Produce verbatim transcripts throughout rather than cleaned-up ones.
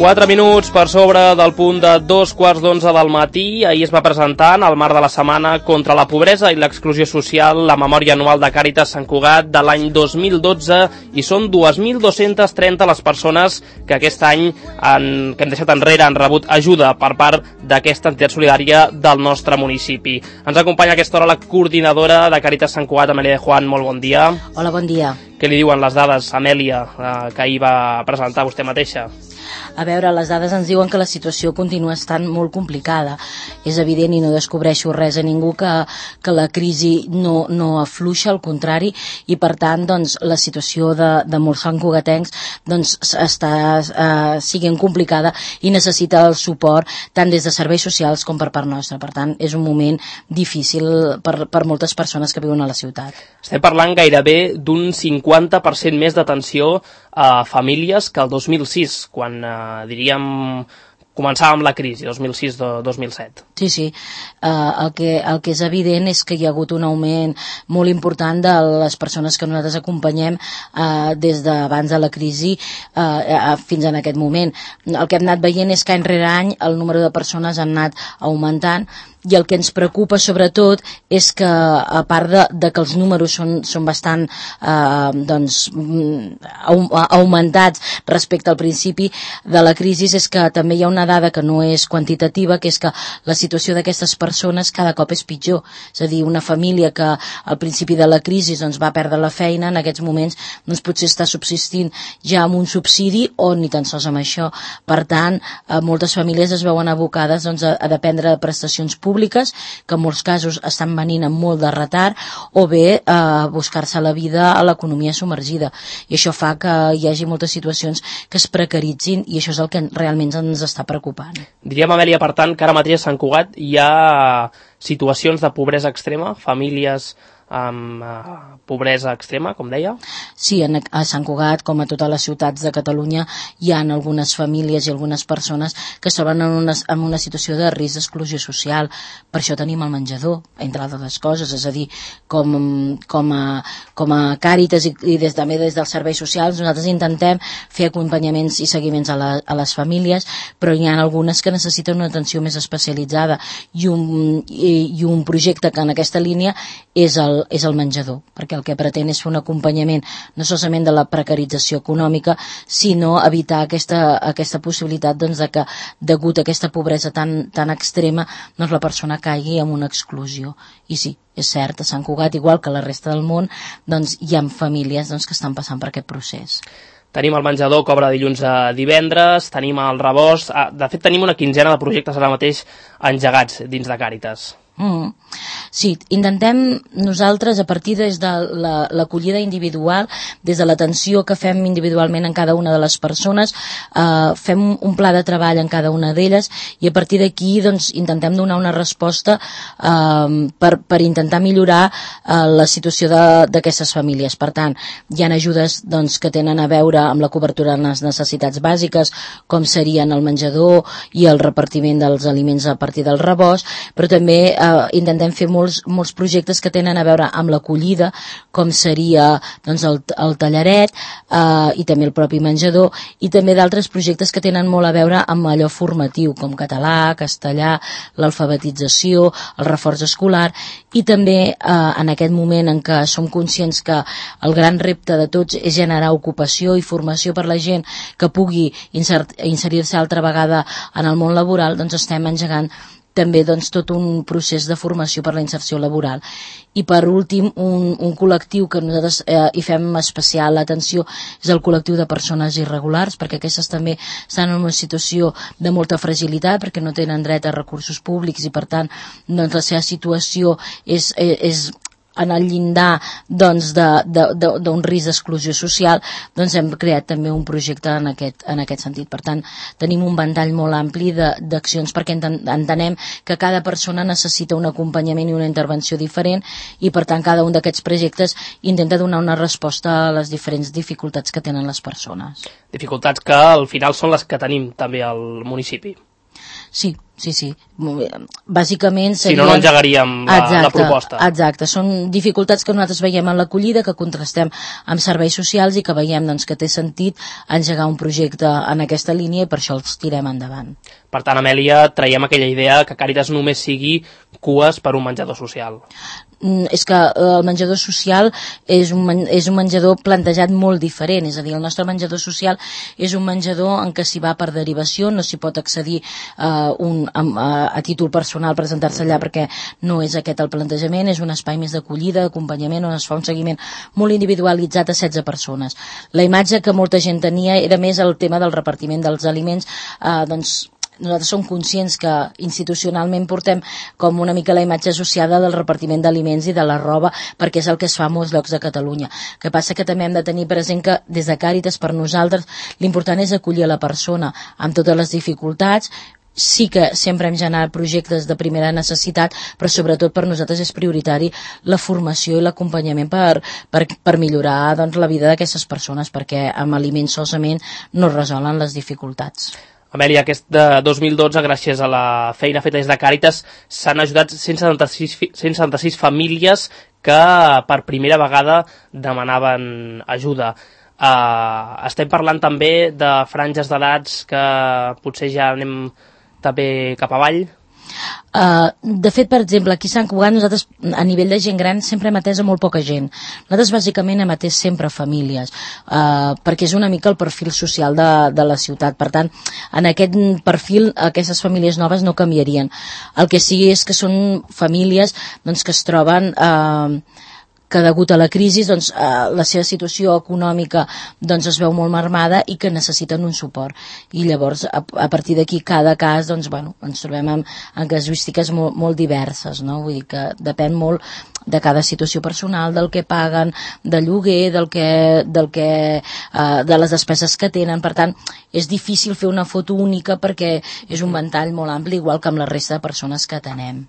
Quatre minuts per sobre del punt de dos quarts d'onze del matí. Ahir es va presentar, en el marc de la Setmana contra la Pobresa i l'Exclusió Social, la memòria anual de Càritas Sant Cugat de l'any dos mil dotze, i són dos mil dos-centes trenta les persones que aquest any han, que hem deixat enrere han rebut ajuda per part d'aquesta entitat solidària del nostre municipi. Ens acompanya a aquesta hora la coordinadora de Càritas Sant Cugat, Amèlia de Juan. Molt bon dia. Hola, bon dia. Què li diuen les dades, Amèlia, eh, que ahir va presentar vostè mateixa? A veure, les dades ens diuen que la situació continua estant molt complicada. És evident, i no descobreixo res a ningú, que, que la crisi no, no afluixa, al contrari, i per tant doncs, la situació de, de molts santcugatencs doncs, està eh, siguent complicada i necessita el suport tant des de serveis socials com per part nostra. Per tant, és un moment difícil per, per moltes persones que viuen a la ciutat. Estem parlant gairebé d'un cinquanta per cent més d'atenció a famílies que el dos mil sis, quan eh, diríem començàvem la crisi, dos mil sis dos mil set. Sí, sí. Uh, el, que, el que és evident és que hi ha hagut un augment molt important de les persones que nosaltres acompanyem uh, des d'abans de la crisi uh, uh, fins en aquest moment. El que hem anat veient és que any rere any el número de persones ha anat augmentant, i el que ens preocupa sobretot és que, a part de, de que els números són, són bastant eh, doncs, augmentats respecte al principi de la crisi, és que també hi ha una dada que no és quantitativa, que és que la situació d'aquestes persones cada cop és pitjor. És a dir, una família que al principi de la crisi doncs, va perdre la feina, en aquests moments doncs, potser està subsistint ja amb un subsidi o ni tan sols amb això. Per tant, eh, moltes famílies es veuen abocades doncs, a, a dependre de prestacions públiques públiques, que en molts casos estan venint amb molt de retard, o bé eh, buscar-se la vida a l'economia submergida. I això fa que hi hagi moltes situacions que es precaritzin, i això és el que realment ens està preocupant. Diríem, Amèlia, per tant, que ara mateix a Sant Cugat hi ha situacions de pobresa extrema, famílies amb uh, pobresa extrema, com deia? Sí, en, a Sant Cugat, com a totes les ciutats de Catalunya, hi ha algunes famílies i algunes persones que es troben en una, en una situació de risc d'exclusió social. Per això tenim el menjador, entre altres coses, és a dir, com, com, a, com a Càritas i, i des, també des dels serveis socials, nosaltres intentem fer acompanyaments i seguiments a, la, a les famílies, però hi ha algunes que necessiten una atenció més especialitzada, i un, i, i un projecte que en aquesta línia és el és el menjador, perquè el que pretén és fer un acompanyament no solament de la precarització econòmica, sinó evitar aquesta, aquesta possibilitat doncs, de que, degut a aquesta pobresa tan, tan extrema, doncs la persona caigui en una exclusió. I sí, és cert, a Sant Cugat, igual que a la resta del món, doncs, hi ha famílies doncs, que estan passant per aquest procés. Tenim el menjador que obre dilluns a divendres, tenim el rebost, de fet tenim una quinzena de projectes ara mateix engegats dins de Càritas. Mm. Sí, intentem nosaltres, a partir des de l'acollida la, individual, des de l'atenció que fem individualment en cada una de les persones, eh, fem un pla de treball en cada una d'elles, i a partir d'aquí doncs, intentem donar una resposta eh, per, per intentar millorar eh, la situació d'aquestes famílies. Per tant, hi ha ajudes doncs, que tenen a veure amb la cobertura de les necessitats bàsiques, com serien el menjador i el repartiment dels aliments a partir del rebost, però també eh, intentem fer molts, molts projectes que tenen a veure amb l'acollida, com seria doncs, el, el tallaret eh, i també el propi menjador, i també d'altres projectes que tenen molt a veure amb allò formatiu, com català, castellà, l'alfabetització, el reforç escolar, i també eh, en aquest moment en què som conscients que el gran repte de tots és generar ocupació i formació per la gent que pugui inserir-se altra vegada en el món laboral, doncs estem engegant també doncs, tot un procés de formació per la inserció laboral. I per últim, un, un col·lectiu que nosaltres eh, hi fem especial atenció és el col·lectiu de persones irregulars, perquè aquestes també estan en una situació de molta fragilitat, perquè no tenen dret a recursos públics i per tant doncs, la seva situació és, és, és en el llindar doncs, d'un risc d'exclusió social. Doncs hem creat també un projecte en aquest, en aquest sentit. Per tant, tenim un ventall molt ampli d'accions, perquè entenem que cada persona necessita un acompanyament i una intervenció diferent, i per tant cada un d'aquests projectes intenta donar una resposta a les diferents dificultats que tenen les persones. Dificultats que al final són les que tenim també al municipi. Sí, sí, sí. Bàsicament serien... Si no, no engegaríem la, exacte, la proposta. Exacte, són dificultats que nosaltres veiem en l'acollida, que contrastem amb serveis socials i que veiem doncs, que té sentit engegar un projecte en aquesta línia i per això els tirem endavant. Per tant, Amèlia, traiem aquella idea que Càritas només sigui cues per un menjador social. És que el menjador social és un, és un menjador plantejat molt diferent, és a dir, el nostre menjador social és un menjador en què s'hi va per derivació, no s'hi pot accedir uh, un, a, a títol personal, presentar-se allà perquè no és aquest el plantejament, és un espai més d'acollida, d'acompanyament, on es fa un seguiment molt individualitzat a setze persones. La imatge que molta gent tenia era més el tema del repartiment dels aliments, uh, doncs nosaltres som conscients que institucionalment portem com una mica la imatge associada del repartiment d'aliments i de la roba, perquè és el que es fa a molts llocs de Catalunya. El que passa que també hem de tenir present que des de Càritas per nosaltres l'important és acollir a la persona amb totes les dificultats. Sí que sempre hem generat projectes de primera necessitat, però sobretot per nosaltres és prioritari la formació i l'acompanyament per, per, per millorar doncs, la vida d'aquestes persones, perquè amb aliments solament no es resolen les dificultats. Amèlia, aquest de dos mil dotze, gràcies a la feina feta des de Càritas, s'han ajudat cent setanta-sis famílies que per primera vegada demanaven ajuda. Uh, estem parlant també de franges d'edats que potser ja anem també cap avall? Uh, de fet, per exemple, aquí a Sant Cugat nosaltres a nivell de gent gran sempre hem atès a molt poca gent. Nosaltres bàsicament hem atès sempre famílies, uh, perquè és una mica el perfil social de, de la ciutat. Per tant, en aquest perfil aquestes famílies noves no canviarien. El que sí és que són famílies doncs, que es troben... Uh, que degut a la crisi doncs, eh, la seva situació econòmica doncs, es veu molt marmada i que necessiten un suport. I llavors, a, a partir d'aquí, cada cas, doncs, bueno, ens trobem amb, amb casuístiques molt, molt diverses, no? Vull dir que depèn molt de cada situació personal, del que paguen, de lloguer, del que, del que, eh, de les despeses que tenen. Per tant, és difícil fer una foto única perquè és un ventall molt ampli, igual que amb la resta de persones que atenem.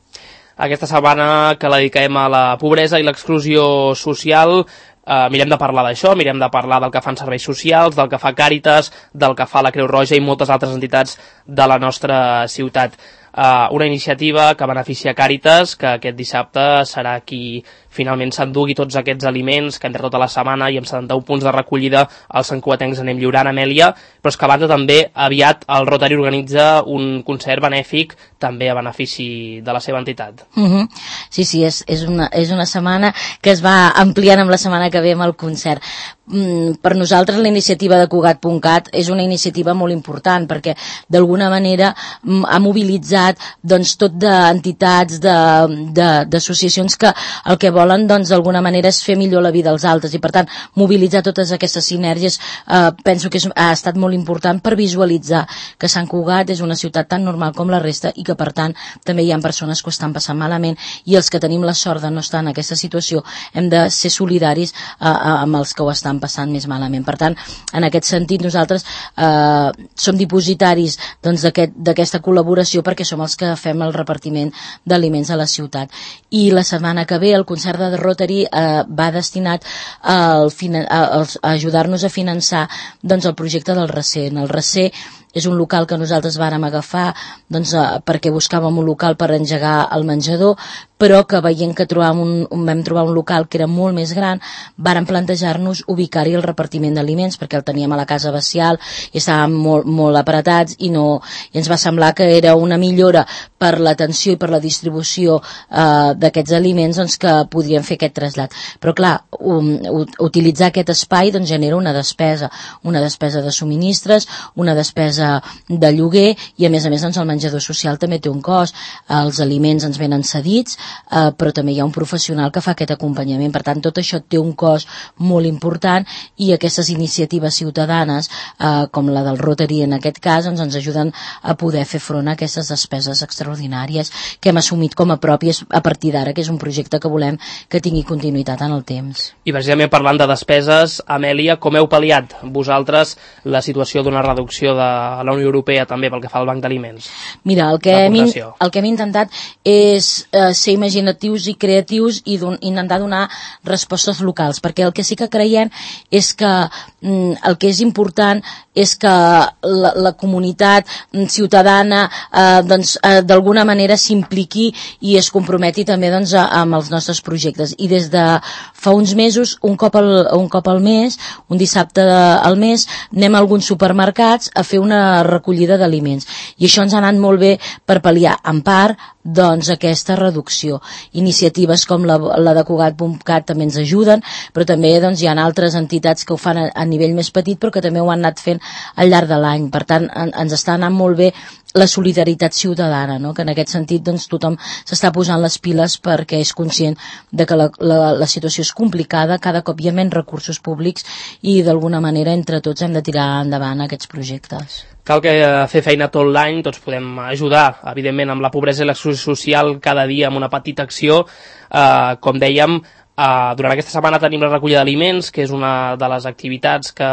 Aquesta setmana que la dediquem a la pobresa i l'exclusió social, eh, mirem de parlar d'això, mirem de parlar del que fan serveis socials, del que fa Càritas, del que fa la Creu Roja i moltes altres entitats de la nostra ciutat. Eh, una iniciativa que beneficia Càritas, que aquest dissabte serà qui finalment s'endugui tots aquests aliments que entre tota la setmana i amb setanta-un punts de recollida els santcugatencs anem lliurant, Amèlia, però és que a banda també aviat el Rotary organitza un concert benèfic també a benefici de la seva entitat. Uh-huh. Sí, sí, és, és, una, és una setmana que es va ampliant amb la setmana que ve amb el concert. Mm, per nosaltres la iniciativa de Cugat punt cat és una iniciativa molt important perquè d'alguna manera mm, ha mobilitzat doncs, tot d'entitats, d'associacions que el que volen doncs, d'alguna manera és fer millor la vida als altres i per tant mobilitzar totes aquestes sinergies eh, penso que és, ha estat molt important per visualitzar que Sant Cugat és una ciutat tan normal com la resta i que per tant també hi ha persones que ho estan passant malament i els que tenim la sort de no estar en aquesta situació hem de ser solidaris eh, amb els que ho estan passant més malament. Per tant, en aquest sentit nosaltres eh, som dipositaris doncs, d'aquesta col·laboració perquè som els que fem el repartiment d'aliments a la ciutat. I la setmana que ve el concert de Rotary eh, va destinat a, a, a ajudar-nos a finançar doncs, el projecte del Recer. En el Recer és un local que nosaltres vàrem agafar doncs, eh, perquè buscàvem un local per engegar el menjador, però que veient que trobàvem un, un, vam trobar un local que era molt més gran, vàrem plantejar-nos ubicar-hi el repartiment d'aliments, perquè el teníem a la Casa Bacial i estàvem molt, molt apretats i, no, i ens va semblar que era una millora per l'atenció i per la distribució eh, d'aquests aliments doncs, que podríem fer aquest trasllat. Però clar, um, utilitzar aquest espai doncs, genera una despesa, una despesa de subministres, una despesa de lloguer i a més a més doncs, el menjador social també té un cost, els aliments ens venen cedits, eh, però també hi ha un professional que fa aquest acompanyament, per tant tot això té un cost molt important i aquestes iniciatives ciutadanes eh, com la del Rotary en aquest cas doncs, ens ajuden a poder fer front a aquestes despeses extraordinàries que hem assumit com a pròpies a partir d'ara, que és un projecte que volem que tingui continuïtat en el temps. I precisament parlant de despeses, Amèlia, com heu pal·liat vosaltres la situació d'una reducció de la Unió Europea també pel que fa al Banc d'Aliments? Mira, el que, hem, el que hem intentat és eh, ser imaginatius i creatius i don, intentar donar respostes locals, perquè el que sí que creiem és que mm, el que és important és que la, la comunitat ciutadana eh, doncs, eh, d'alguna manera s'impliqui i es comprometi també doncs, a, amb els nostres projectes. I des de fa uns mesos, un cop al, un cop al mes, un dissabte de, al mes, anem a alguns supermercats a fer una recollida d'aliments. I això ens ha anat molt bé per pal·liar, en part, doncs aquesta reducció. Iniciatives com la, la de Cugat punt cat també ens ajuden, però també doncs, hi ha altres entitats que ho fan a, a nivell més petit, però que també ho han anat fent al llarg de l'any. Per tant, en, ens està anant molt bé la solidaritat ciutadana, no? Que en aquest sentit doncs, tothom s'està posant les piles perquè és conscient de que la, la, la situació és complicada, cada cop hi ha menys recursos públics i d'alguna manera entre tots hem de tirar endavant aquests projectes. Cal que fer feina tot l'any, tots podem ajudar, evidentment, amb la pobresa i l'exclusió social cada dia amb una petita acció. Eh, com dèiem, Uh, durant aquesta setmana tenim la recollida d'aliments, que és una de les activitats que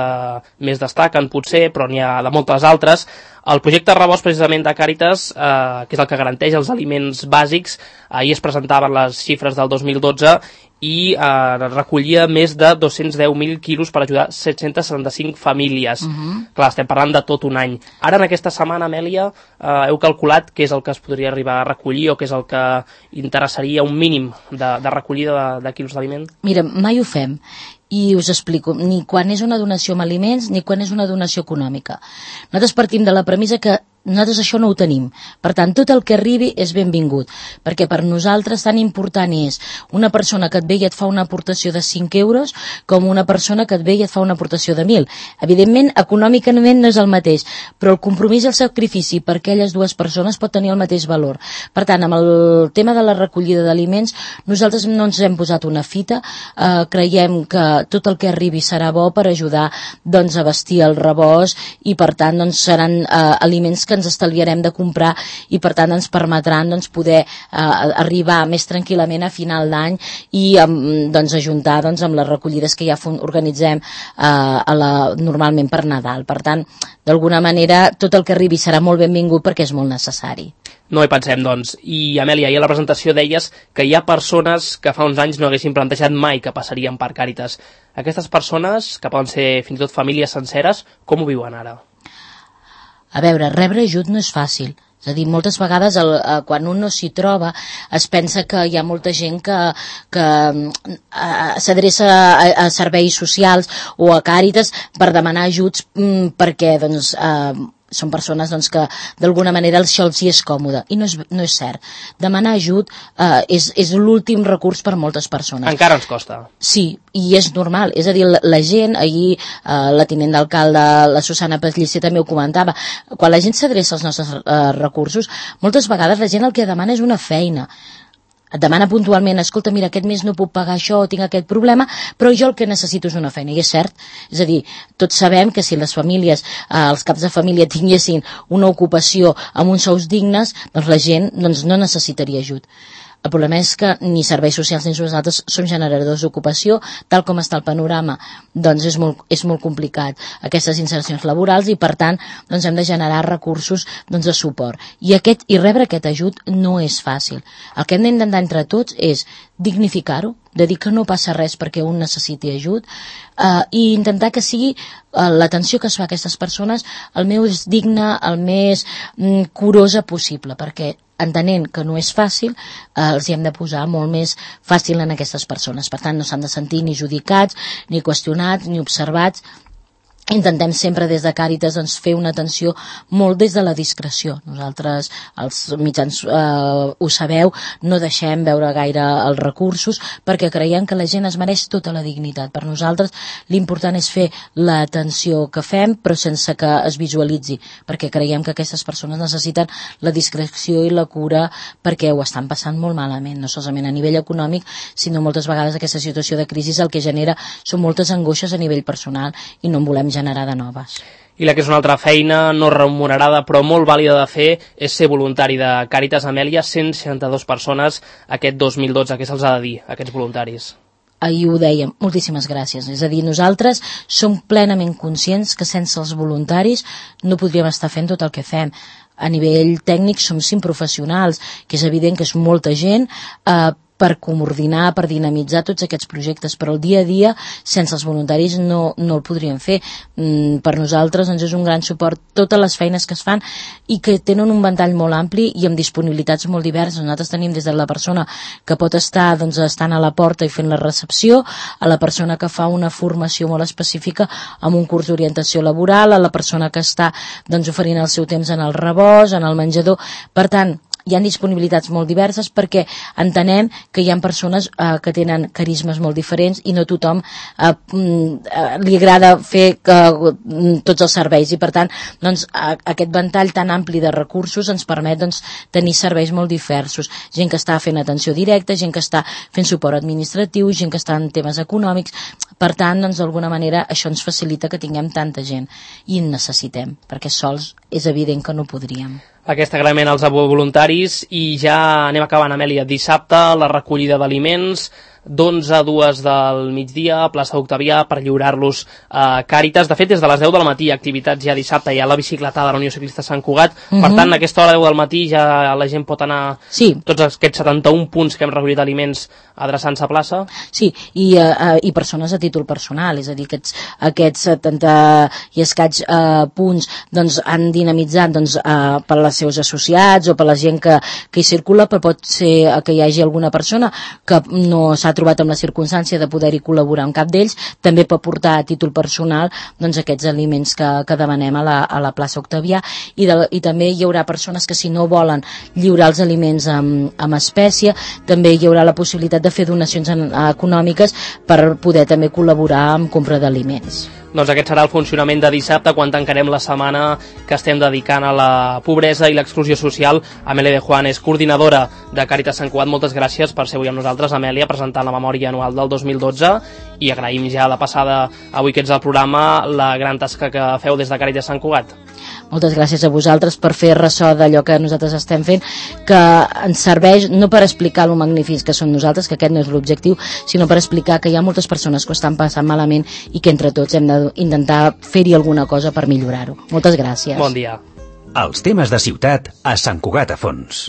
més destaquen, potser, però n'hi ha de moltes altres. El projecte Rebost, precisament, de Càritas, uh, que és el que garanteix els aliments bàsics, ahir es presentaven les xifres del dos mil dotze i uh, recollia més de dos-cents deu mil quilos per ajudar set-cents setanta-cinc famílies. Uh-huh. Clar, estem parlant de tot un any. Ara, en aquesta setmana, Amèlia, uh, heu calculat què és el que es podria arribar a recollir o què és el que interessaria un mínim de, de recollida de, de quilos d'aliment? Mira, mai ho fem. I us explico, ni quan és una donació amb aliments ni quan és una donació econòmica. Nosaltres partim de la premissa que nosaltres això no ho tenim. Per tant, tot el que arribi és benvingut, perquè per nosaltres tan important és una persona que et ve i et fa una aportació de cinc euros com una persona que et ve i et fa una aportació de mil. Evidentment, econòmicament no és el mateix, però el compromís i el sacrifici per aquelles dues persones pot tenir el mateix valor. Per tant, amb el tema de la recollida d'aliments, nosaltres no ens hem posat una fita, eh, creiem que tot el que arribi serà bo per ajudar doncs, a vestir el rebost i per tant doncs, seran eh, aliments que ens estalviarem de comprar i per tant ens permetran doncs, poder eh, arribar més tranquil·lament a final d'any i doncs, ajuntar doncs, amb les recollides que ja organitzem eh, a la, normalment per Nadal. Per tant, d'alguna manera tot el que arribi serà molt benvingut perquè és molt necessari. No hi pensem, doncs. I, Amèlia, ahir a la presentació deies que hi ha persones que fa uns anys no haguessin plantejat mai que passarien per Càritas. Aquestes persones, que poden ser fins i tot famílies senceres, com ho viuen ara? A veure, rebre ajut no és fàcil. És a dir, moltes vegades el, eh, quan un no s'hi troba es pensa que hi ha molta gent que, que eh, s'adreça a, a serveis socials o a Càritas per demanar ajuts mm, perquè doncs, eh, són persones doncs, que d'alguna manera això els hi és còmode i no és, no és cert. Demanar ajut eh, és, és l'últim recurs per moltes persones. Encara ens costa. Sí, i és normal, és a dir, la, la gent, ahir eh, la tinent d'alcalde, la Susana Pellicer també ho comentava, quan la gent s'adreça als nostres eh, recursos, moltes vegades la gent el que demana és una feina. Et demana puntualment, escolta, mira, aquest mes no puc pagar això, tinc aquest problema, però jo el que necessito és una feina, i és cert. És a dir, tots sabem que si les famílies, eh, els caps de família tinguessin una ocupació amb uns sous dignes, doncs la gent doncs, no necessitaria ajut. El problema és que ni serveis socials ni nosaltres som generadors d'ocupació, tal com està el panorama, doncs és molt, és molt complicat aquestes insercions laborals i per tant doncs hem de generar recursos doncs, de suport. I, aquest, i rebre aquest ajut no és fàcil. El que hem d'intentar entre tots és dignificar-ho, de dir que no passa res perquè un necessiti ajut eh, i intentar que sigui eh, l'atenció que es fa a aquestes persones el més digna, el més mm, curosa possible, perquè entenent que no és fàcil, eh, els hi hem de posar molt més fàcil en aquestes persones. Per tant, no s'han de sentir ni judicats, ni qüestionats, ni observats. Intentem sempre des de Càritas doncs, fer una atenció molt des de la discreció. Nosaltres, els mitjans, eh, ho sabeu, no deixem veure gaire els recursos perquè creiem que la gent es mereix tota la dignitat. Per nosaltres l'important és fer l'atenció que fem però sense que es visualitzi, perquè creiem que aquestes persones necessiten la discreció i la cura perquè ho estan passant molt malament, no solament a nivell econòmic, sinó moltes vegades aquesta situació de crisi el que genera són moltes angoixes a nivell personal i no en volem generar de noves. I la que és una altra feina no remunerada però molt vàlida de fer és ser voluntari de Càritas. Amèlia, cent seixanta-dues persones aquest dos mil dotze, què se'ls ha de dir, aquests voluntaris? ahir ho dèiem, moltíssimes gràcies. És a dir, nosaltres som plenament conscients que sense els voluntaris no podríem estar fent tot el que fem. A nivell tècnic som cinc professionals, que és evident que és molta gent, eh, per coordinar, per dinamitzar tots aquests projectes, però el dia a dia, sense els voluntaris, no, no el podríem fer. Mm, per nosaltres doncs, és un gran suport totes les feines que es fan i que tenen un ventall molt ampli i amb disponibilitats molt diverses. Nosaltres tenim des de la persona que pot estar doncs, estant a la porta i fent la recepció, a la persona que fa una formació molt específica amb un curs d'orientació laboral, a la persona que està doncs, oferint el seu temps en el rebost, en el menjador. Per tant, hi ha disponibilitats molt diverses perquè entenem que hi ha persones eh, que tenen carismes molt diferents i no tothom eh, eh, li agrada fer que, eh, tots els serveis i per tant doncs, a, aquest ventall tan ampli de recursos ens permet doncs, tenir serveis molt diversos. Gent que està fent atenció directa, gent que està fent suport administratiu, gent que està en temes econòmics. Per tant, doncs, d'alguna manera això ens facilita que tinguem tanta gent i en necessitem, perquè sols és evident que no podríem. Aquest agraïment als voluntaris i ja anem acabant, Amèlia. Dissabte la recollida d'aliments d'onze a dues del migdia a plaça Octavià per lliurar-los a Càritas. De fet, des de les deu del matí, activitats ja dissabte, hi ha la bicicletada de la Unió Ciclista Sant Cugat. Uh-huh. Per tant, a aquesta hora deu del matí ja la gent pot anar sí. tots aquests setanta-un punts que hem recollit aliments adreçant-se a plaça. Sí, i, uh, i persones a títol personal, és a dir, aquests, aquests setanta i escaig uh, punts doncs, han dinamitzat doncs, uh, per als seus associats o per la gent que, que hi circula, però pot ser que hi hagi alguna persona que no s'ha trobat amb la circumstància de poder-hi col·laborar amb cap d'ells, també pot portar a títol personal doncs, aquests aliments que, que demanem a la, a la plaça Octavià i, de, i també hi haurà persones que si no volen lliurar els aliments amb, amb espècie, també hi haurà la possibilitat de fer donacions en, econòmiques per poder també col·laborar amb compra d'aliments. Doncs aquest serà el funcionament de dissabte quan tancarem la setmana que estem dedicant a la pobresa i l'exclusió social. Amèlia de Juan és coordinadora de Càritas Sant Cugat. Moltes gràcies per ser avui amb nosaltres, Amèlia, presentant la memòria anual del dos mil dotze i agraïm ja de passada avui que ets al programa la gran tasca que feu des de Càritas Sant Cugat. Moltes gràcies a vosaltres per fer ressò d'allò que nosaltres estem fent, que ens serveix no per explicar lo magnífics que són nosaltres, que aquest no és l'objectiu, sinó per explicar que hi ha moltes persones que ho estan passant malament i que entre tots hem d'intentar fer-hi alguna cosa per millorar-ho. Moltes gràcies. Bon dia. Els temes de ciutat a Sant Cugat a Fons.